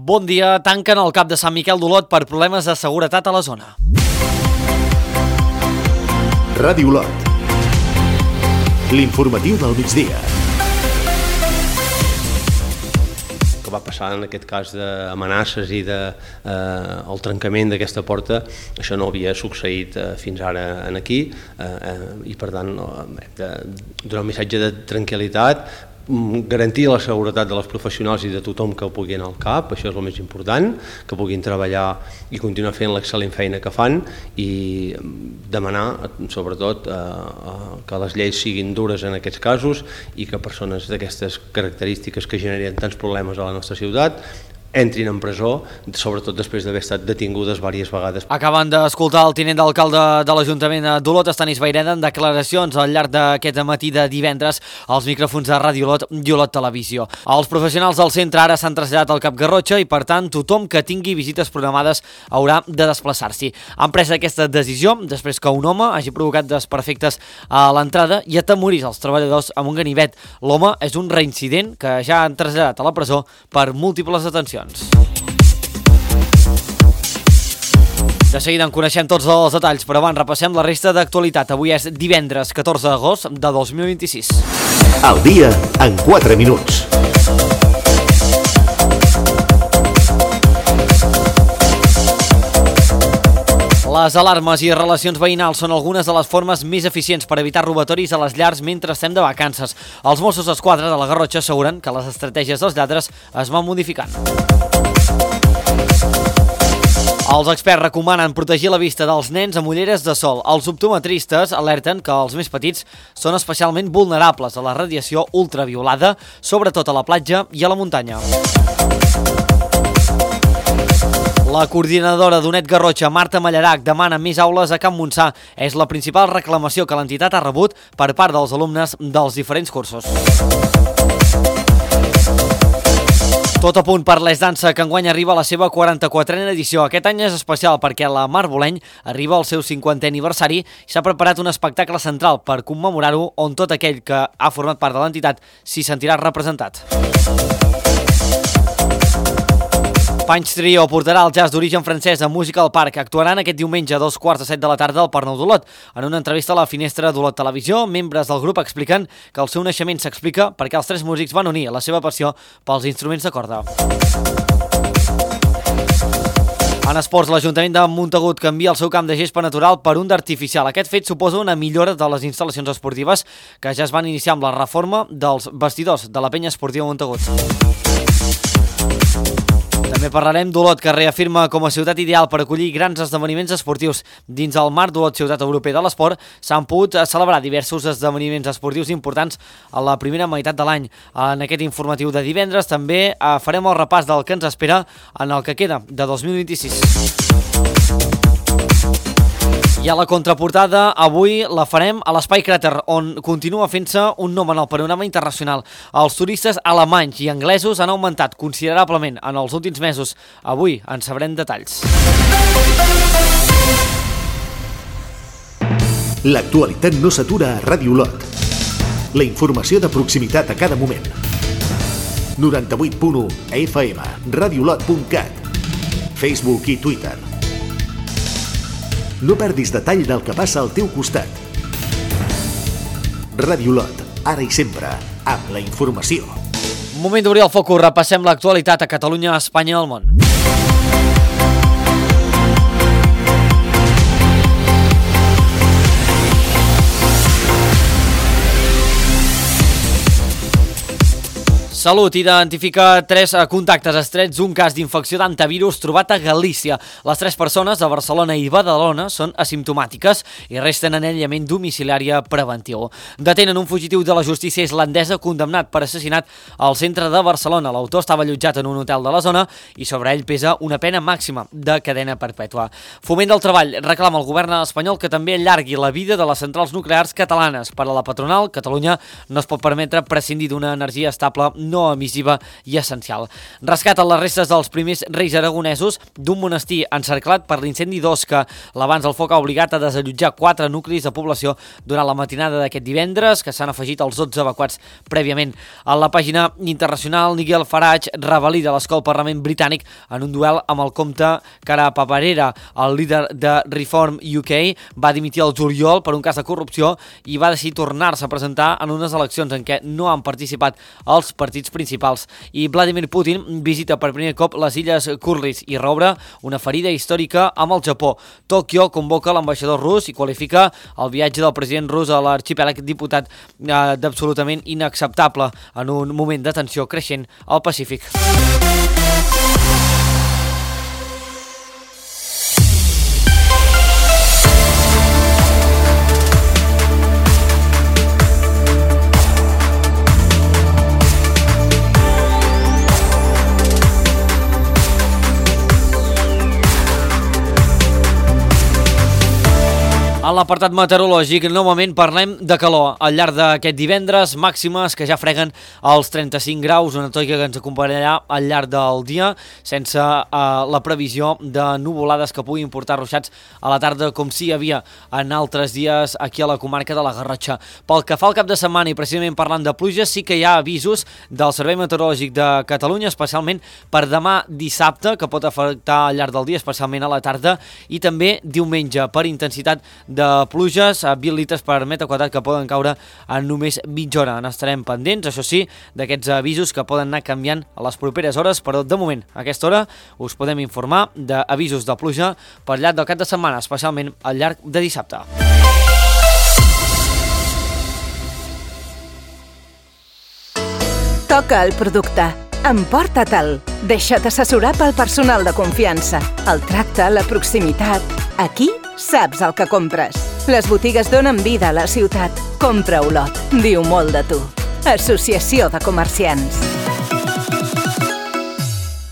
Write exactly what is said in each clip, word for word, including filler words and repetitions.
Bon dia. Tanquen el cap de Sant Miquel d'Olot per problemes de seguretat a la zona. Ràdio Olot. L'informatiu del migdia. Que va passar en aquest cas d'amenaces i de, eh, el trencament d'aquesta porta, això no havia succeït eh, fins ara en aquí eh, eh, i per tant hem de donar un missatge de tranquil·litat, garantir la seguretat de les professionals i de tothom que pugui anar al CAP, això és el més important, que puguin treballar i continuar fent l'excel·lent feina que fan i demanar sobretot eh, que les lleis siguin dures en aquests casos i que persones d'aquestes característiques que generen tants problemes a la nostra ciutat entrin en presó, sobretot després d'haver estat detingudes diverses vegades. Acaben d'escoltar el tinent d'alcalde de l'Ajuntament d'Olot, Estanis Vayreda, en declaracions al llarg d'aquest matí de divendres als micròfons de Ràdio Olot i Olot Televisió. Els professionals del centre ara s'han traslladat al Cap Garrotxa i, per tant, tothom que tingui visites programades haurà de desplaçar-s'hi. Han pres aquesta decisió després que un home hagi provocat desperfectes a l'entrada i atemorís els treballadors amb un ganivet. L'home és un reincident que ja han traslladat a la presó per múltiples detencions. De seguida en coneixem tots els detalls, però abans repassem la resta d'actualitat. Avui és divendres catorze d'agost de dos mil vint-i-sis. El dia en quatre minuts. Les alarmes i relacions veïnals són algunes de les formes més eficients per evitar robatoris a les llars mentre estem de vacances. Els Mossos d'Esquadra de la Garrotxa asseguren que les estratègies dels lladres es van modificant. Els experts recomanen protegir la vista dels nens amb ulleres de sol. Els optometristes alerten que els més petits són especialment vulnerables a la radiació ultraviolada, sobretot a la platja i a la muntanya. La coordinadora d'UNED Garrotxa, Marta Mallarac, demana més aules a Can Montsà. És la principal reclamació que l'entitat ha rebut per part dels alumnes dels diferents cursos. Tot a punt per l'Es Dansa, que enguany arriba a la seva quaranta-quatrena edició. Aquest any és especial perquè la Mar Boleny arriba al seu cinquantè aniversari i s'ha preparat un espectacle central per commemorar-ho on tot aquell que ha format part de l'entitat s'hi sentirà representat. Punch Trio portarà el jazz d'origen francès a Música al Parc. Actuaran aquest diumenge a dos quarts de set de la tarda al Parc Nou d'Olot. En una entrevista a la Finestra d'Olot Televisió, membres del grup expliquen que el seu naixement s'explica perquè els tres músics van unir la seva passió pels instruments de corda. En esports, l'Ajuntament de Montagut canvia el seu camp de gespa natural per un d'artificial. Aquest fet suposa una millora de les instal·lacions esportives que ja es van iniciar amb la reforma dels vestidors de la penya esportiva Montagut. També parlarem d'Olot, que reafirma com a ciutat ideal per acollir grans esdeveniments esportius. Dins el marc d'Olot Ciutat Europea de l'Esport s'han pogut celebrar diversos esdeveniments esportius importants a la primera meitat de l'any. En aquest informatiu de divendres també farem el repàs del que ens espera en el que queda de dos mil vint-i-sis. I a la contraportada, avui la farem a l'Espai Cràter, on continua fent-se un nom en el panorama internacional. Els turistes alemanys i anglesos han augmentat considerablement en els últims mesos. Avui en sabrem detalls. L'actualitat no s'atura a Ràdio Olot. La informació de proximitat a cada moment. noranta-vuit punt u F M, radiolot punt cat, Facebook i Twitter. No perdis detall del que passa al teu costat. Ràdio Olot, ara i sempre, amb la informació. Moment d'obrir el focus, repassem l'actualitat a Catalunya, a Espanya i al món. Salut identifica tres contactes estrets, un cas d'infecció d'antivirus trobat a Galícia. Les tres persones de Barcelona i Badalona són asimptomàtiques i resten en aïllament domiciliari preventiu. Detenen un fugitiu de la justícia islandesa condemnat per assassinat al centre de Barcelona. L'autor estava allotjat en un hotel de la zona i sobre ell pesa una pena màxima de cadena perpètua. Foment del Treball reclama al govern espanyol que també allargui la vida de les centrals nuclears catalanes. Per a la patronal, Catalunya no es pot permetre prescindir d'una energia estable no emissiva i essencial. Rescaten les restes dels primers reis aragonesos d'un monestir encerclat per l'incendi d'Osca. L'abans del foc ha obligat a desallotjar quatre nuclis de població durant la matinada d'aquest divendres, que s'han afegit als dotze evacuats prèviament. A la pàgina internacional, Nigel Farage revalida l'escó al Parlament britànic en un duel amb el comte Cara Paparera. El líder de Reform U K va dimitir el juliol per un cas de corrupció i va decidir tornar-se a presentar en unes eleccions en què no han participat els partits principals. I Vladimir Putin visita per primer cop les illes Kurils i reobre una ferida històrica amb el Japó. Tòquio convoca l'ambaixador rus i qualifica el viatge del president rus a l'arxipèlag diputat eh, d'absolutament inacceptable en un moment de tensió creixent al Pacífic. A l'apartat meteorològic, novament parlem de calor. Al llarg d'aquest divendres, màximes que ja freguen els trenta-cinc graus, una toica que ens acompanyarà al llarg del dia, sense eh, la previsió de nuvolades que puguin portar ruixats a la tarda, com si hi havia en altres dies aquí a la comarca de la Garrotxa. Pel que fa al cap de setmana, i precisament parlant de pluja, sí que hi ha avisos del Servei Meteorològic de Catalunya, especialment per demà dissabte, que pot afectar al llarg del dia, especialment a la tarda, i també diumenge, per intensitat de pluges a vint litres per metre quadrat que poden caure en només mitja hora. N'estarem pendents, això sí, d'aquests avisos que poden anar canviant a les properes hores, però de moment, a aquesta hora, us podem informar d'avisos de pluja per llarg del cap de setmana, especialment al llarg de dissabte. Toca el producte. Emporta-te'l. Deixa't assessorar pel personal de confiança. El tracte, la proximitat. Aquí saps el que compres. Les botigues donen vida a la ciutat. Compra Olot. Diu molt de tu. Associació de Comerciants.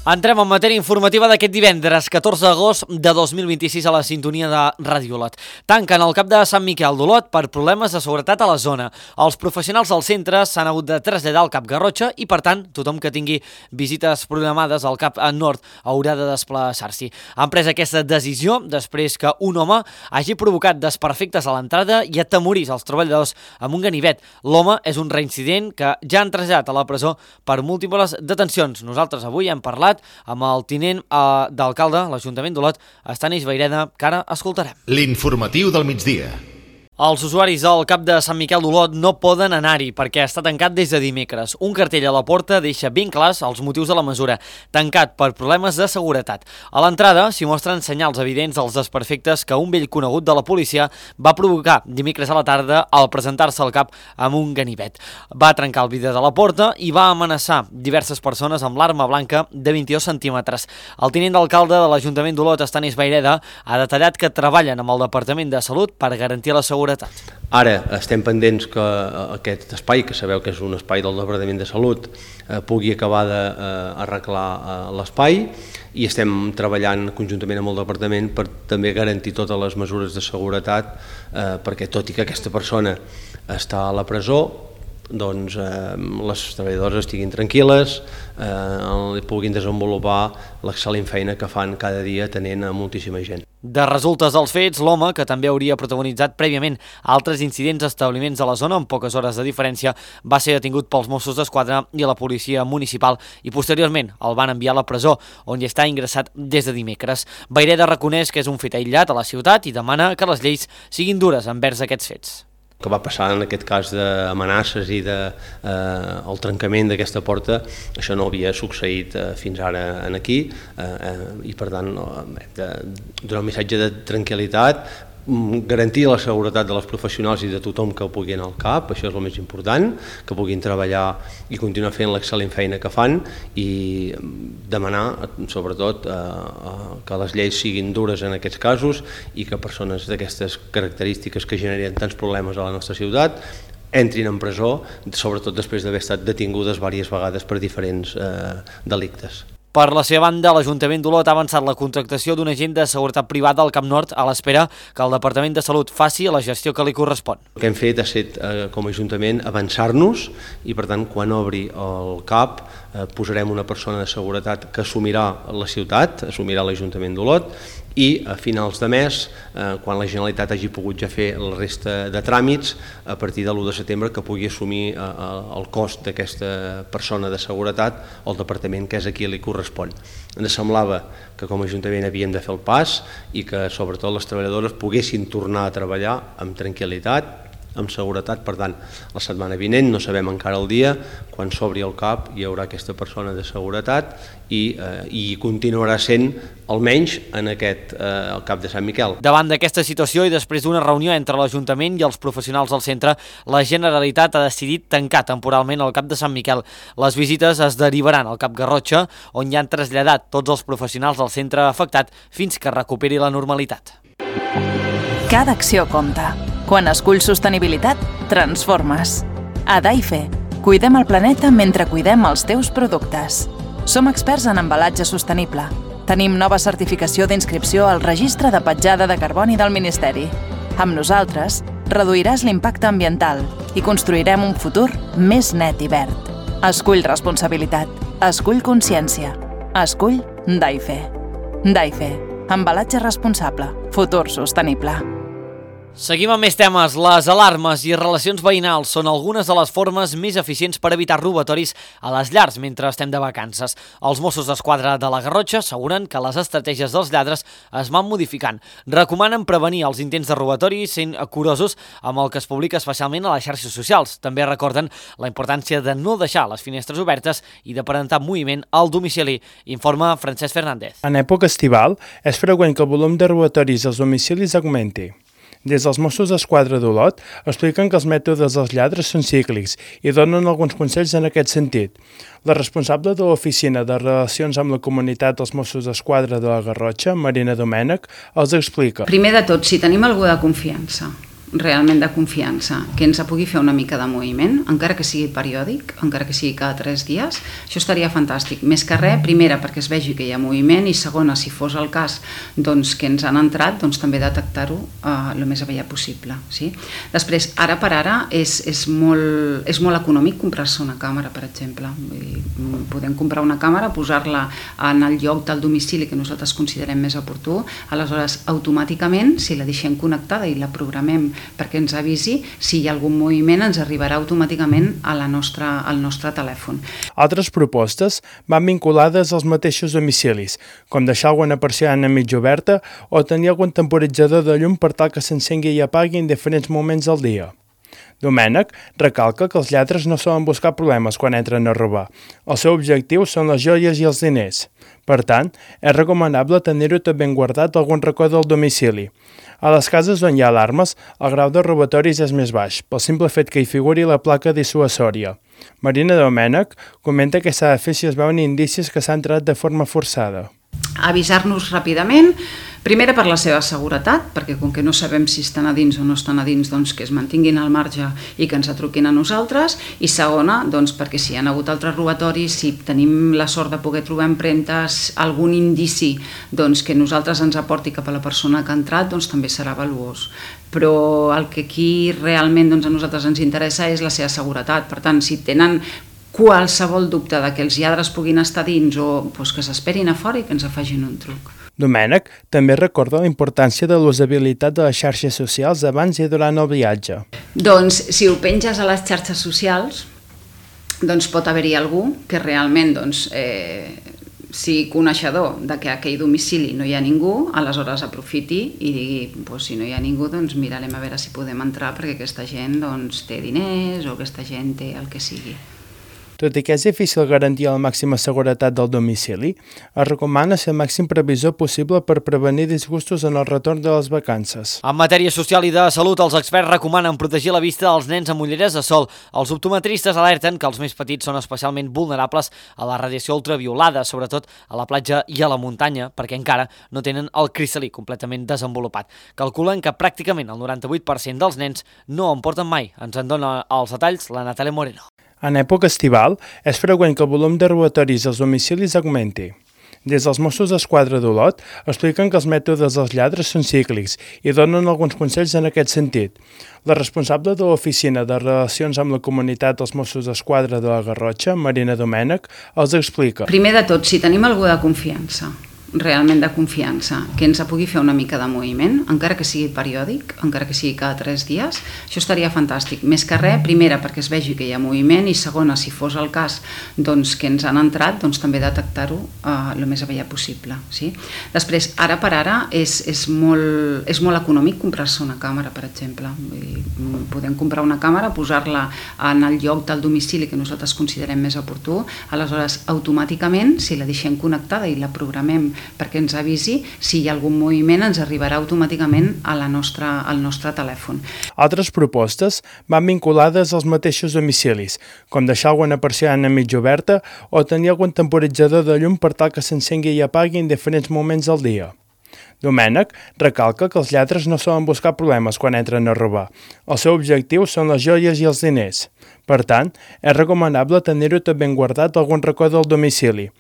Entrem en matèria informativa d'aquest divendres, catorze d'agost de dos mil vint-i-sis a la sintonia de Ràdio Olot. Tanquen el cap de Sant Miquel d'Olot per problemes de seguretat a la zona. Els professionals del centre s'han hagut de traslladar al cap Garrotxa i, per tant, tothom que tingui visites programades al cap nord haurà de desplaçar-s'hi. Han pres aquesta decisió després que un home hagi provocat desperfectes a l'entrada i atemorís els treballadors amb un ganivet. L'home és un reincident que ja han traslladat a la presó per múltiples detencions. Nosaltres avui hem parlat amb el tinent eh, d'alcalde, l'Ajuntament d'Olot, Estanis Vayreda, que ara escoltarem. L'informatiu del migdia. Els usuaris del cap de Sant Miquel d'Olot no poden anar-hi perquè està tancat des de dimecres. Un cartell a la porta deixa ben clars els motius de la mesura, tancat per problemes de seguretat. A l'entrada s'hi mostren senyals evidents dels desperfectes que un vell conegut de la policia va provocar dimecres a la tarda al presentar-se al cap amb un ganivet. Va trencar el vidre de la porta i va amenaçar diverses persones amb l'arma blanca de vint-i-dos centímetres. El tinent d'alcalde de l'Ajuntament d'Olot, Estanis Vayreda, ha detallat que treballen amb el Departament de Salut per garantir la seguretat. Ara estem pendents que aquest espai, que sabeu que és un espai del Departament de Salut, eh, pugui acabar d'arreglar eh, l'espai, i estem treballant conjuntament amb el Departament per també garantir totes les mesures de seguretat, eh, perquè tot i que aquesta persona està a la presó, doncs eh, les treballadores estiguin tranquil·les, eh, puguin desenvolupar l'excel·lent feina que fan cada dia atenent a moltíssima gent. De resultes dels fets, l'home, que també hauria protagonitzat prèviament altres incidents a establiments de la zona amb poques hores de diferència, va ser detingut pels Mossos d'Esquadra i la policia municipal i posteriorment el van enviar a la presó, on hi està ingressat des de dimecres. Vayreda reconeix que és un fet aïllat a la ciutat i demana que les lleis siguin dures envers aquests fets. Que va passar en aquest cas d'amenaces i de, eh, el trencament d'aquesta porta, això no havia succeït eh, fins ara en aquí, eh, eh, i per tant hem de donar un missatge de tranquil·litat, garantir la seguretat de les professionals i de tothom que pugui anar al cap, això és el més important, que puguin treballar i continuar fent l'excel·lent feina que fan, i demanar sobretot eh, que les lleis siguin dures en aquests casos i que persones d'aquestes característiques que generen tants problemes a la nostra ciutat entrin en presó, sobretot després d'haver estat detingudes diverses vegades per diferents eh, delictes. Per la seva banda, l'Ajuntament d'Olot ha avançat la contractació d'un agent de seguretat privada al Camp Nord a l'espera que el Departament de Salut faci la gestió que li correspon. El que hem fet ha estat, eh, com a Ajuntament, avançar-nos i, per tant, quan obri el C A P, eh, posarem una persona de seguretat que assumirà la ciutat, assumirà l'Ajuntament d'Olot, i a finals de mes, eh, quan la Generalitat hagi pogut ja fer la resta de tràmits, a partir de l'u de setembre que pugui assumir eh, el cost d'aquesta persona de seguretat el Departament, que és a qui li correspon. Ens semblava que com a Ajuntament havíem de fer el pas i que sobretot les treballadores poguessin tornar a treballar amb tranquil·litat, amb seguretat. Per tant, la setmana vinent, no sabem encara el dia, quan s'obri el C A P hi haurà aquesta persona de seguretat i, eh, i continuarà sent almenys en aquest eh, el C A P de Sant Miquel. Davant d'aquesta situació i després d'una reunió entre l'Ajuntament i els professionals del centre, la Generalitat ha decidit tancar temporalment el C A P de Sant Miquel. Les visites es derivaran al C A P Garrotxa, on ja han traslladat tots els professionals del centre afectat fins que recuperi la normalitat. Cada acció compta. Quan esculls sostenibilitat, transformes. A Daife, cuidem el planeta mentre cuidem els teus productes. Som experts en embalatge sostenible. Tenim nova certificació d'inscripció al Registre de Petjada de Carboni del Ministeri. Amb nosaltres, reduiràs l'impacte ambiental i construirem un futur més net i verd. Escull responsabilitat. Escull consciència. Escull Daife. Daife. Embalatge responsable. Futur sostenible. Seguim amb més temes. Les alarmes i relacions veïnals són algunes de les formes més eficients per evitar robatoris a les llars mentre estem de vacances. Els Mossos d'Esquadra de la Garrotxa asseguren que les estratègies dels lladres es van modificant. Recomanen prevenir els intents de robatori sent curosos amb el que es publica especialment a les xarxes socials. També recorden la importància de no deixar les finestres obertes i de parentar moviment al domicili, informa Francesc Fernández. En època estival és freqüent que el volum de robatoris als domicilis augmenti. Des dels Mossos d'Esquadra d'Olot expliquen que els mètodes dels lladres són cíclics i donen alguns consells en aquest sentit. La responsable de l'Oficina de Relacions amb la Comunitat dels Mossos d'Esquadra de la Garrotxa, Marina Domènech, els explica. Primer de tot, si tenim algú de confiança, realment de confiança, que ens pugui fer una mica de moviment, encara que sigui periòdic, encara que sigui cada tres dies, això estaria fantàstic. Més que res, primera, perquè es vegi que hi ha moviment, i segona, si fos el cas doncs, que ens han entrat, doncs també detectar-ho eh, el més aviat possible. Sí? Després, ara per ara, és, és, molt, és molt econòmic comprar-se una càmera, per exemple. Vull dir, podem comprar una càmera, posar-la en el lloc del domicili que nosaltres considerem més oportú, aleshores, automàticament, si la deixem connectada i la programem perquè ens avisi, si hi ha algun moviment ens arribarà automàticament a la nostra, al nostre telèfon. Altres propostes van vinculades als mateixos domicilis, com deixar alguna persiana mig oberta o tenir algun temporitzador de llum per tal que s'encengui i apagui en diferents moments del dia. Domènech recalca que els lladres no solen buscar problemes quan entren a robar. El seu objectiu són les joies i els diners. Per tant, és recomanable tenir-ho tot ben guardat a algun racó del domicili. A les cases on hi ha alarmes, el grau de robatoris és més baix, pel simple fet que hi figuri la placa dissuasòria. Marina Domènech comenta que s'ha de fer si es veuen indicis que s'ha entrat de forma forçada. Avisar-nos ràpidament, primera per la seva seguretat, perquè com que no sabem si estan a dins o no estan a dins, doncs que es mantinguin al marge i que ens atruquin a nosaltres, i segona, doncs perquè si hi ha hagut altres robatoris, si tenim la sort de poder trobar empremtes, algun indici doncs, que nosaltres ens aporti cap a la persona que ha entrat, doncs també serà valuós. Però el que aquí realment doncs, a nosaltres ens interessa és la seva seguretat. Per tant, si tenen qualsevol dubte de que els lladres puguin estar dins o doncs, que s'esperin a fora i que ens afegin un truc. Domènech també recorda la importància de l'usabilitat de les xarxes socials abans i durant el viatge. Doncs si ho penges a les xarxes socials, doncs pot haver-hi algú que realment doncs, eh, sigui coneixedor de que a aquell domicili no hi ha ningú, aleshores aprofiti i digui, doncs, si no hi ha ningú, doncs mirarem a veure si podem entrar perquè aquesta gent doncs, té diners o aquesta gent té el que sigui. Tot i que és difícil garantir la màxima seguretat del domicili, es recomana ser el màxim previsor possible per prevenir disgustos en el retorn de les vacances. En matèria social i de salut, els experts recomanen protegir la vista dels nens amb ulleres de sol. Els optometristes alerten que els més petits són especialment vulnerables a la radiació ultraviolada, sobretot a la platja i a la muntanya, perquè encara no tenen el cristal·lí completament desenvolupat. Calculen que pràcticament el noranta-vuit per cent dels nens no en porten mai. Ens en dona els detalls la Natàlia Moreno. En època estival, és freqüent que el volum de robatoris als domicilis augmenti. Des dels Mossos d'Esquadra d'Olot expliquen que els mètodes dels lladres són cíclics i donen alguns consells en aquest sentit. La responsable de l'Oficina de Relacions amb la Comunitat dels Mossos d'Esquadra de la Garrotxa, Marina Domènech, els explica. Primer de tot, si tenim algú de confiança, realment de confiança, que ens pugui fer una mica de moviment, encara que sigui periòdic, encara que sigui cada tres dies, això estaria fantàstic. Més que res, primera, perquè es vegi que hi ha moviment, i segona, si fos el cas doncs, que ens han entrat, doncs també detectar-ho eh, el més aviat possible. Sí? Després, ara per ara, és, és, molt, és molt econòmic comprar-se una càmera, per exemple. Vull dir, podem comprar una càmera, posar-la en el lloc del domicili que nosaltres considerem més oportú, aleshores, automàticament, si la deixem connectada i la programem perquè ens avisi, si hi ha algun moviment ens arribarà automàticament a la nostra, al nostre telèfon. Altres propostes van vinculades als mateixos domicilis, com deixar alguna persiana mig oberta o tenir algun temporitzador de llum per tal que s'encengui i apagui en diferents moments del dia. Domènech recalca que els lladres no solen buscar problemes quan entren a robar. El seu objectiu són les joies i els diners. Per tant, és recomanable tenir-ho tot ben guardat a algun racó del domicili.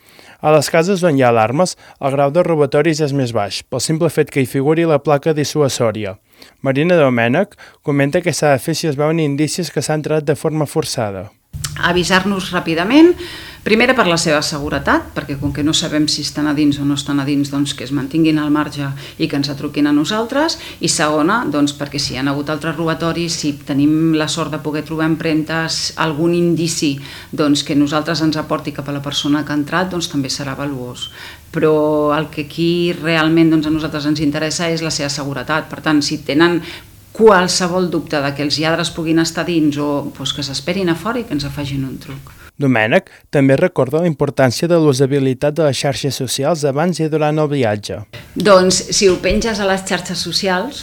A les cases on hi ha alarmes, el grau de robatoris és més baix, pel simple fet que hi figuri la placa dissuasòria. Marina Domènech comenta que s'ha de fer si es veuen indicis que s'ha entrat de forma forçada. Avisar-nos ràpidament, primera per la seva seguretat, perquè com que no sabem si estan a dins o no estan a dins, doncs que es mantinguin al marge i que ens atruquin a nosaltres, i segona, doncs perquè si hi ha hagut altres robatoris, si tenim la sort de poder trobar empremtes, algun indici doncs, que nosaltres ens aporti cap a la persona que ha entrat, doncs també serà valuós. Però el que aquí realment doncs, a nosaltres ens interessa és la seva seguretat. Per tant, si tenen qualsevol dubte de que els lladres puguin estar dins o doncs, que s'esperin a fora i que ens afegin un truc. Domènech també recorda la importància de l'usabilitat de les xarxes socials abans i durant el viatge. Doncs si ho penges a les xarxes socials,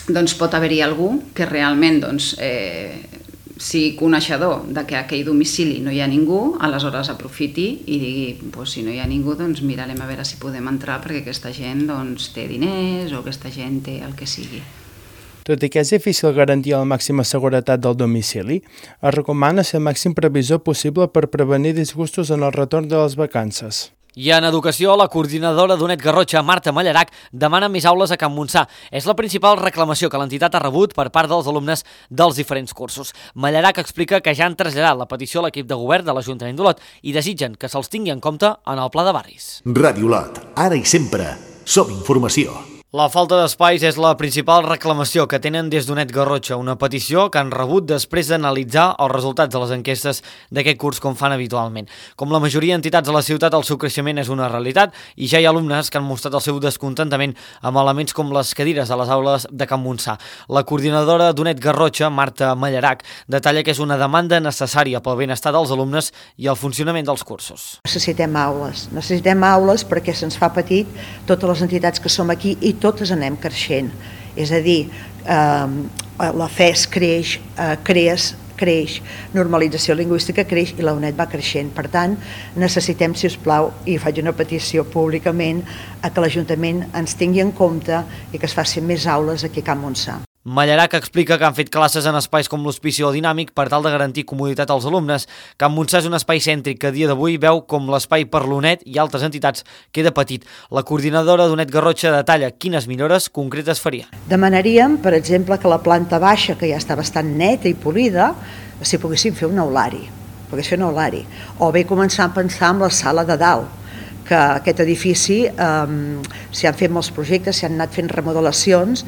doncs pot haver-hi algú que realment doncs, eh, sigui coneixedor de que a aquell domicili no hi ha ningú, aleshores aprofiti i digui, doncs, si no hi ha ningú, doncs mirarem a veure si podem entrar perquè aquesta gent doncs, té diners o aquesta gent té el que sigui. Tot i que és difícil garantir la màxima seguretat del domicili, es recomana ser el màxim previsor possible per prevenir disgustos en el retorn de les vacances. I en educació, la coordinadora d'UNED Garrotxa, Marta Mallarac, demana més aules a Can Montsà. És la principal reclamació que l'entitat ha rebut per part dels alumnes dels diferents cursos. Mallarac explica que ja han traslladat la petició a l'equip de govern de l'Ajuntament d'Olot i desitgen que se'ls tingui en compte en el pla de barris. Ràdio Olot, ara i sempre, som informació. La falta d'espais és la principal reclamació que tenen des d'UNED Garrotxa, una petició que han rebut després d'analitzar els resultats de les enquestes d'aquest curs com fan habitualment. Com la majoria d'entitats de la ciutat, el seu creixement és una realitat i ja hi ha alumnes que han mostrat el seu descontentament amb elements com les cadires a les aules de Can Montsà. La coordinadora d'UNED Garrotxa, Marta Mallarac, detalla que és una demanda necessària pel benestar dels alumnes i el funcionament dels cursos. Necessitem aules, necessitem aules perquè se'ns fa petit totes les entitats que som aquí i totes anem creixent, és a dir, eh, la F E S creix, eh, CREAS creix, normalització lingüística creix i la UNED va creixent. Per tant, necessitem, si us plau, i faig una petició públicament, a que l'Ajuntament ens tingui en compte i que es facin més aules aquí a Can Montsà. Mallarac explica que han fet classes en espais com l'hospici o dinàmic per tal de garantir comoditat als alumnes. Can Montsà és un espai cèntric que a dia d'avui veu com l'espai per l'UNED i altres entitats queda petit. La coordinadora d'UNED Garrotxa detalla quines millores concretes faria. Demanaríem, per exemple, que la planta baixa, que ja està bastant neta i polida, si poguéssim fer un aulari, pogués fer un aulari. O bé començar a pensar en la sala de dalt, que aquest edifici eh, s'hi han fet molts projectes, s'hi han anat fent remodelacions,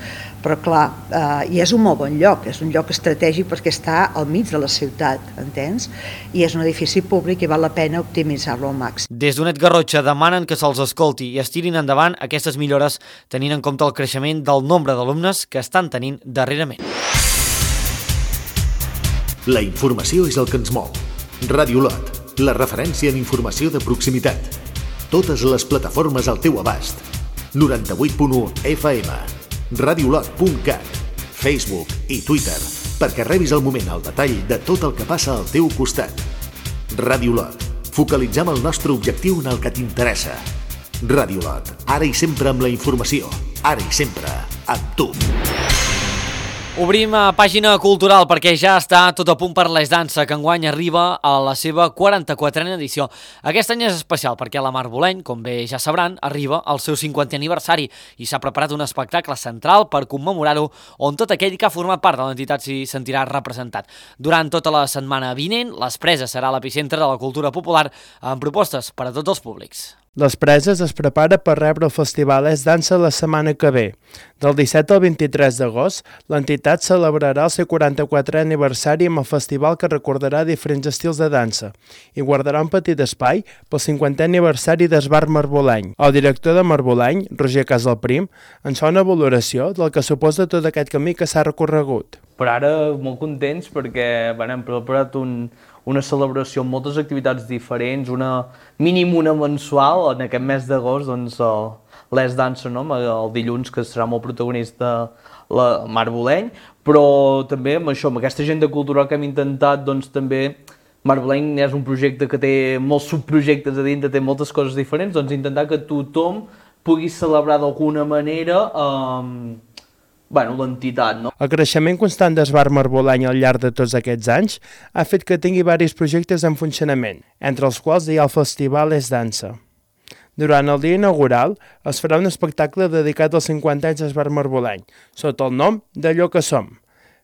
però clar, eh, i és un molt bon lloc, és un lloc estratègic perquè està al mig de la ciutat, entens? I és un edifici públic i val la pena optimitzar-lo al màxim. Des d'UNED Garrotxa demanen que se'ls escolti i es tirin endavant aquestes millores tenint en compte el creixement del nombre d'alumnes que estan tenint darrerament. La informació és el que ens mou. Ràdio Olot, la referència en informació de proximitat. Totes les plataformes al teu abast. noranta-vuit punt u F M, radiolot punt cat, Facebook i Twitter, perquè rebis al moment el detall de tot el que passa al teu costat. Ràdio Olot, focalitzem el nostre objectiu en el que t'interessa. Ràdio Olot, ara i sempre amb la informació, ara i sempre amb tu. Obrim a pàgina cultural perquè ja està tot a punt per l'Es Dansa, que enguany arriba a la seva quaranta-quatrena edició. Aquest any és especial perquè la Marboleny, com bé ja sabran, arriba al seu cinquantè aniversari i s'ha preparat un espectacle central per commemorar-ho, on tot aquell que ha format part de l'entitat s'hi sentirà representat. Durant tota la setmana vinent, l'Es Preses serà l'epicentre de la cultura popular amb propostes per a tots els públics. Les Preses es prepara per rebre el festival Es Dansa la setmana que ve. Del disset al vint-i-tres d'agost, l'entitat celebrarà el seu quaranta-quatrè aniversari amb el festival que recordarà diferents estils de dansa i guardarà un petit espai pel cinquantè aniversari d'Esbar Marboleny. El director de Marboleny, Roger Casalprim, ens fa una valoració del que suposa tot aquest camí que s'ha recorregut. Per ara molt contents perquè bueno, hem preparat un, una celebració amb moltes activitats diferents, una mínim una mensual, en aquest mes d'agost, doncs l'Es Dansa, no? El dilluns, que serà molt protagonista la Marboleny, però també amb això, amb aquesta agenda cultural que hem intentat, doncs també Marboleny és un projecte que té molts subprojectes a dintre, té moltes coses diferents, doncs intentar que tothom pugui celebrar d'alguna manera eh, bueno, l'entitat, no? El creixement constant d'Esbar Marboleny al llarg de tots aquests anys ha fet que tingui diversos projectes en funcionament, entre els quals hi ha el festival Es Dansa. Durant el dia inaugural es farà un espectacle dedicat als cinquanta anys d'Esbar Marboleny, sota el nom d'Allò que som.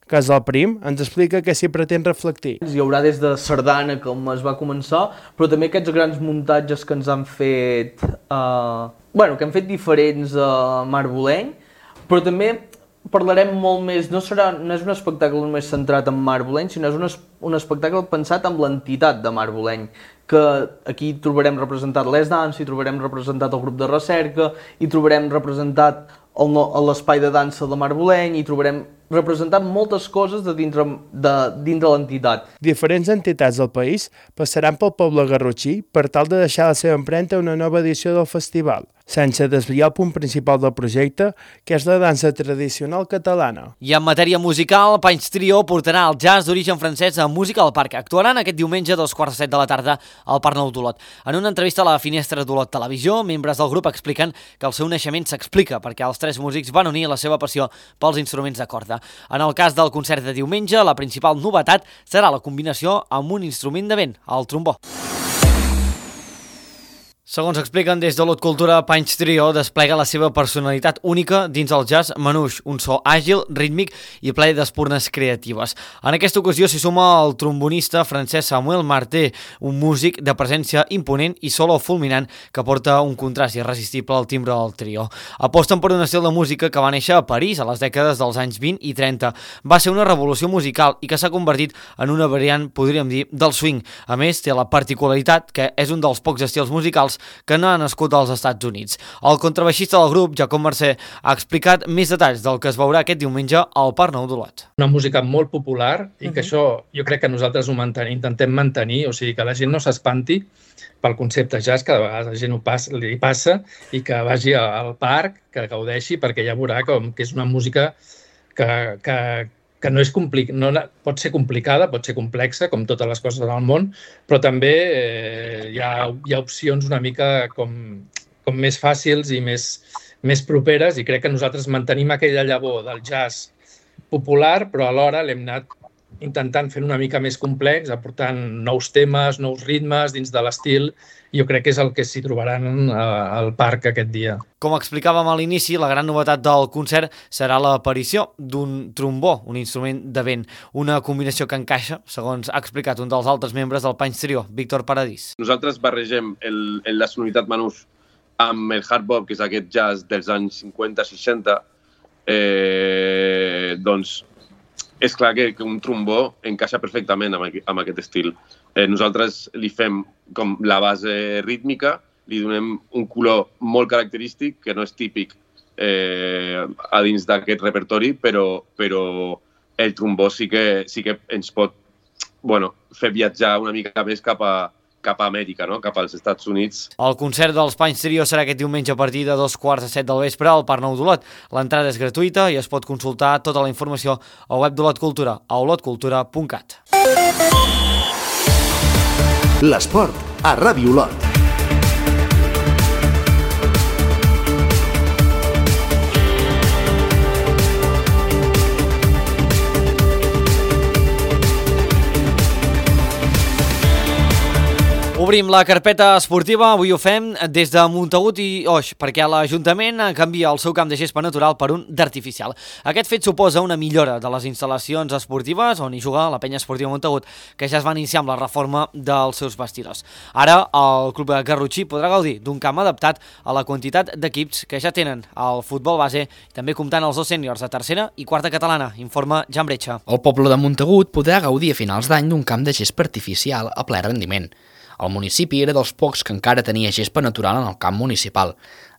Casalprim ens explica què s'hi pretén reflectir. Hi haurà des de sardana, com es va començar, però també aquests grans muntatges que ens han fet, eh, bueno, que han fet diferents a eh, Marboleny, però també parlarem molt més, no, serà, no és un espectacle només centrat en Marboleny, sinó és un, es, un espectacle pensat amb l'entitat de Marboleny, que aquí trobarem representat l'Es Dansa, hi trobarem representat el grup de recerca, hi trobarem representat l'espai de dansa de Marboleny, hi trobarem representat moltes coses de dintre de, dintre l'entitat. Diferents entitats del país passaran pel poble garrotxí per tal de deixar la seva empremta a una nova edició del festival, sense desviar el punt principal del projecte, que és la dansa tradicional catalana. I en matèria musical, Panys Trio portarà el jazz d'origen francès a Música al Parc. Actuaran aquest diumenge a dos quarts de set de la tarda al Parc Nou d'Olot. En una entrevista a la Finestra d'Olot Televisió, membres del grup expliquen que el seu naixement s'explica perquè els tres músics van unir la seva passió pels instruments de corda. En el cas del concert de diumenge, la principal novetat serà la combinació amb un instrument de vent, el trombó. Segons expliquen des de l'Olot Cultura, Panys Trio desplega la seva personalitat única dins el jazz manouche, un so àgil, rítmic i ple d'espurnes creatives. En aquesta ocasió s'hi suma el trombonista francès Samuel Marté, un músic de presència imponent i solo fulminant que porta un contrast irresistible al timbre del trio. Aposten per un estil de música que va néixer a París a les dècades dels anys vint i trenta. Va ser una revolució musical i que s'ha convertit en una variant, podríem dir, del swing. A més, té la particularitat que és un dels pocs estils musicals que no ha nascut als Estats Units. El contrabaixista del grup, Jacob Mercè, ha explicat més detalls del que es veurà aquest diumenge al Parc Nou d'Olot. Una música molt popular i que això jo crec que nosaltres ho manten, intentem mantenir, o sigui que la gent no s'espanti pel concepte jazz, que de vegades la gent ho passa, li passa, i que vagi al parc, que gaudeixi, perquè ja veurà com que és una música que, que, que no és complic... no, pot ser complicada, pot ser complexa, com totes les coses del món, però també eh, hi, ha, hi ha opcions una mica com, com més fàcils i més, més properes, i crec que nosaltres mantenim aquella llavor del jazz popular, però alhora l'hem anat intentant fer una mica més complex, aportant nous temes, nous ritmes dins de l'estil. Jo crec que és el que s'hi trobaran al parc aquest dia. Com explicàvem a l'inici, la gran novetat del concert serà l'aparició d'un trombó, un instrument de vent, una combinació que encaixa, segons ha explicat un dels altres membres del Panys Trio, Víctor Paradís. Nosaltres barregem el, la sonoritat manouche amb el hard bop, que és aquest jazz dels anys cinquanta seixanta, eh, doncs és clar que, que un trombó encaixa perfectament amb, amb aquest estil. Eh, nosaltres li fem com la base rítmica, li donem un color molt característic, que no és típic eh, a dins d'aquest repertori, però, però el trombó sí que, sí que ens pot bueno, fer viatjar una mica més cap a, cap a Amèrica, no? Cap als Estats Units. El concert dels Panys Trio serà aquest diumenge a partir de dos quarts de set del vespre al Parc Nou d'Olot. L'entrada és gratuïta i es pot consultar tota la informació al web d'Olot Cultura, a olot cultura punt cat. L'esport a Ràdio Olot. Obrim la carpeta esportiva, avui ho fem des de Montagut i Oix, perquè l'Ajuntament canvia el seu camp de gespa natural per un d'artificial. Aquest fet suposa una millora de les instal·lacions esportives on hi juga la penya esportiva Montagut, que ja es va iniciar amb la reforma dels seus vestidors. Ara el club de Garrotxí podrà gaudir d'un camp adaptat a la quantitat d'equips que ja tenen el futbol base, també comptant els dos sèniors de tercera i quarta catalana, informa Jan Bretxa. El poble de Montagut podrà gaudir a finals d'any d'un camp de gespa artificial a ple rendiment. El municipi era dels pocs que encara tenia gespa natural en el camp municipal.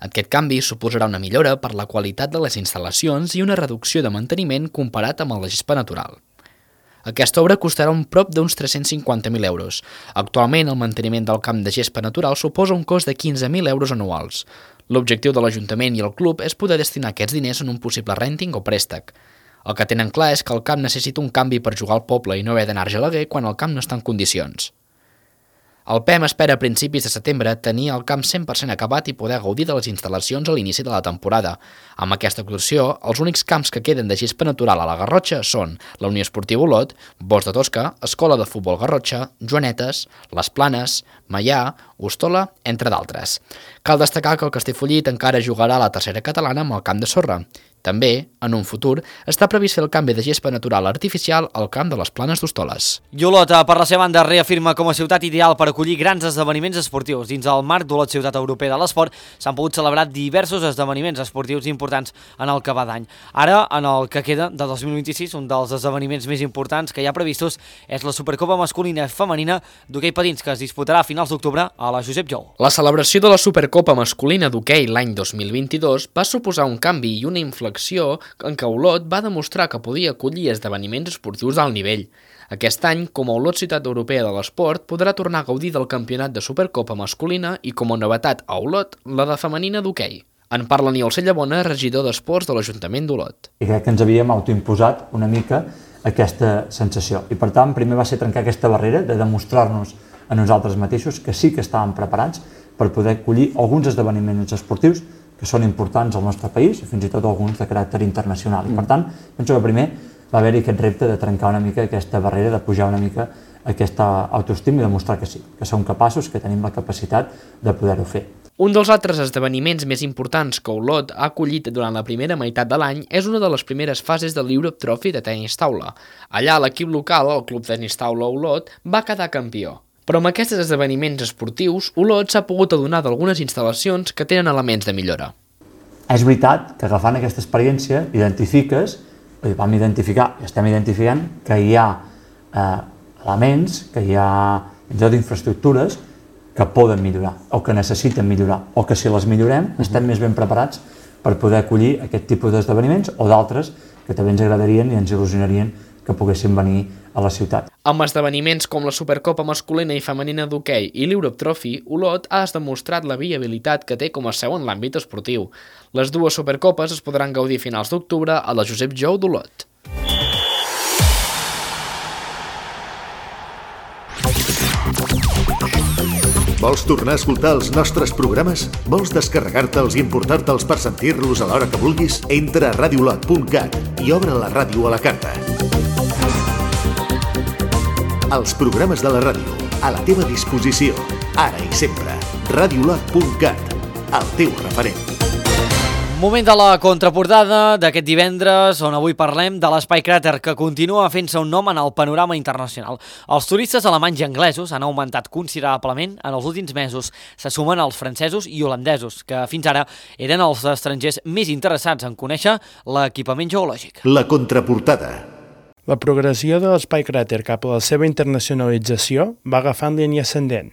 Aquest canvi suposarà una millora per la qualitat de les instal·lacions i una reducció de manteniment comparat amb la gespa natural. Aquesta obra costarà un prop d'uns tres-cents cinquanta mil euros. Actualment, el manteniment del camp de gespa natural suposa un cost de quinze mil euros anuals. L'objectiu de l'Ajuntament i el club és poder destinar aquests diners en un possible rènting o préstec. El que tenen clar és que el camp necessita un canvi per jugar al poble i no haver d'anar a Argelaguer quan el camp no està en condicions. El P E M espera a principis de setembre tenir el camp cent per cent acabat i poder gaudir de les instal·lacions a l'inici de la temporada. Amb aquesta actuació, els únics camps que queden de gespa natural a la Garrotxa són la Unió Esportiva Olot, Bosc de Tosca, Escola de Futbol Garrotxa, Joanetes, Les Planes, Maià, Ostola, entre d'altres. Cal destacar que el Castellfollit encara jugarà a la tercera catalana amb el camp de sorra. També, en un futur, està previst fer el canvi de gespa natural artificial al camp de les Planes d'Hostoles. I Olot, per la seva banda, reafirma com a ciutat ideal per acollir grans esdeveniments esportius. Dins el marc d'Olot Ciutat Europea de l'Esport s'han pogut celebrar diversos esdeveniments esportius importants en el que va d'any. Ara, en el que queda de dos mil vint-i-sis, un dels esdeveniments més importants que hi ha previstos és la Supercopa masculina i femenina d'hoquei patins, que es disputarà a finals d'octubre a la Josep Jou. La celebració de la Supercopa masculina d'hoquei l'any dos mil vint-i-dos va suposar un canvi i una inflexió en què Olot va demostrar que podia acollir esdeveniments esportius d'alt nivell. Aquest any, com a Olot Ciutat Europea de l'Esport, podrà tornar a gaudir del campionat de Supercopa masculina i, com a novetat a Olot, la de femenina d'hoquei. En parla Niol Cellabona, regidor d'Esports de l'Ajuntament d'Olot. I crec que ens havíem autoimposat una mica aquesta sensació. I per tant, primer va ser trencar aquesta barrera de demostrar-nos a nosaltres mateixos que sí que estàvem preparats per poder acollir alguns esdeveniments esportius que són importants al nostre país i fins i tot alguns de caràcter internacional. I per tant, penso que primer va haver-hi aquest repte de trencar una mica aquesta barrera, de pujar una mica aquesta autoestima i demostrar que sí, que som capaços, que tenim la capacitat de poder-ho fer. Un dels altres esdeveniments més importants que Olot ha acollit durant la primera meitat de l'any és una de les primeres fases del Europe Trophy de tenis taula. Allà l'equip local, el Club Tenis Taula Olot, va quedar campió. Però amb aquests esdeveniments esportius, Olot s'ha pogut adonar d'algunes instal·lacions que tenen elements de millora. És veritat que agafant aquesta experiència identifiques, vam identificar i estem identificant que hi ha eh, elements, que hi ha infraestructures que poden millorar o que necessiten millorar o que si les millorem estem més ben preparats per poder acollir aquest tipus d'esdeveniments o d'altres que també ens agradarien i ens il·lusionarien que poguessin venir a la ciutat. Amb esdeveniments com la Supercopa masculina i femenina d'hoquei i l'Europe Trophy, Olot ha demostrat la viabilitat que té com a seu en l'àmbit esportiu. Les dues Supercopes es podran gaudir a finals d'octubre a la Josep Jou d'Olot. Vols tornar a escoltar els nostres programes? Vols descarregar-te'ls i emportar-te'ls per sentir-los a l'hora que vulguis? Entra a radiolot punt cat i obre la ràdio a la carta. Els programes de la ràdio, a la teva disposició, ara i sempre. radiolot punt cat, el teu referent. Moment de la contraportada d'aquest divendres, on avui parlem de l'Espai Cràter, que continua fent-se un nom en el panorama internacional. Els turistes alemanys i anglesos han augmentat considerablement en els últims mesos. Se sumen els francesos i holandesos, que fins ara eren els estrangers més interessats en conèixer l'equipament geològic. La contraportada. La progressió de l'Espai Cràter cap a la seva internacionalització va agafant línia ascendent.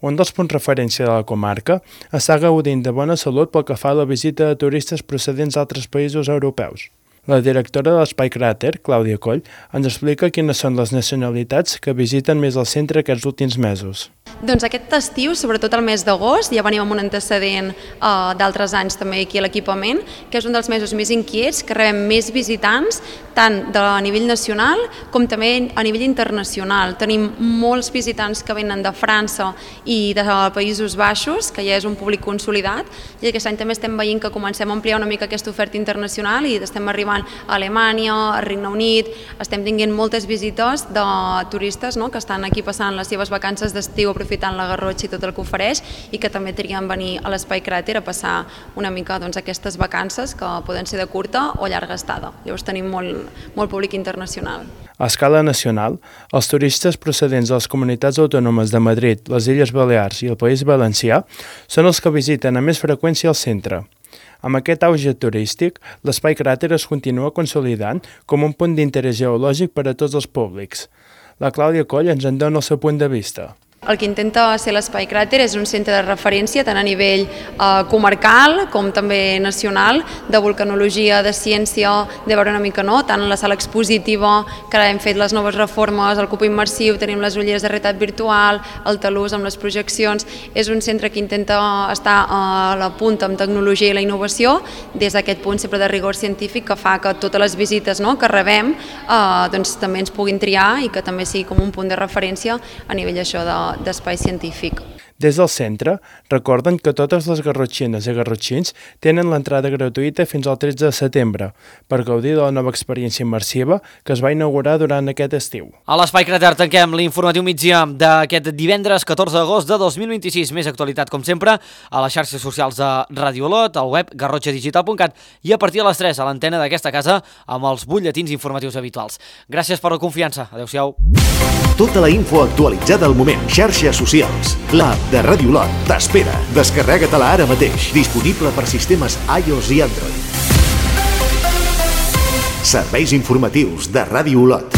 Un dels punts referència de la comarca està gaudint de bona salut pel que fa a la visita de turistes procedents d'altres països europeus. La directora de l'Espai Cràter, Clàudia Coll, ens explica quines són les nacionalitats que visiten més el centre aquests últims mesos. Doncs aquest estiu, sobretot el mes d'agost, ja venim amb un antecedent uh, d'altres anys també aquí a l'equipament, que és un dels mesos més inquiets, que rebem més visitants, tant de a nivell nacional com també a nivell internacional. Tenim molts visitants que venen de França i de Països Baixos, que ja és un públic consolidat, i aquest any també estem veient que comencem a ampliar una mica aquesta oferta internacional i estem arribant Taiwan, a Alemanya, a Regne Unit. Estem tinguent moltes visites de turistes, no?, que estan aquí passant les seves vacances d'estiu aprofitant la Garrotxa i tot el que ofereix i que també triguen venir a l'Espai Cràter a passar una mica doncs, aquestes vacances que poden ser de curta o llarga estada. Llavors tenim molt, molt públic internacional. A escala nacional, els turistes procedents de les comunitats autònomes de Madrid, les Illes Balears i el País Valencià són els que visiten amb més freqüència el centre. Amb aquest auge turístic, l'Espai Cràter es continua consolidant com un punt d'interès geològic per a tots els públics. La Clàudia Coll ens en dona el seu punt de vista. El que intenta ser l'Espai Cràter és un centre de referència tant a nivell eh, comarcal com també nacional, de vulcanologia, de ciència, de veure una mica, no?, tant la sala expositiva, que ara hem fet les noves reformes, el cupo immersiu, tenim les ulleres de realitat virtual, el talús amb les projeccions. És un centre que intenta estar a la punta amb tecnologia i la innovació, des d'aquest punt sempre de rigor científic que fa que totes les visites, no?, que rebem eh, doncs, també ens puguin triar i que també sigui com un punt de referència a nivell això de d'espai científic. Des del centre, recorden que totes les garrotxines i garrotxins tenen l'entrada gratuïta fins al tretze de setembre per gaudir de la nova experiència immersiva que es va inaugurar durant aquest estiu. A l'Espai Cràter tanquem l'informatiu migdia d'aquest divendres catorze d'agost de dos mil vint-i-sis. Més actualitat, com sempre, a les xarxes socials de Radio Olot, al web garrotxa digital punt cat i a partir de les tres a l'antena d'aquesta casa amb els butlletins informatius habituals. Gràcies per la confiança. Adéu-siau. Tota la info actualitzada al moment. Xarxes socials. L'app de Radio Olot t'espera. Descarrega-te-la ara mateix. Disponible per sistemes iOS i Android. Serveis informatius de Radio Olot.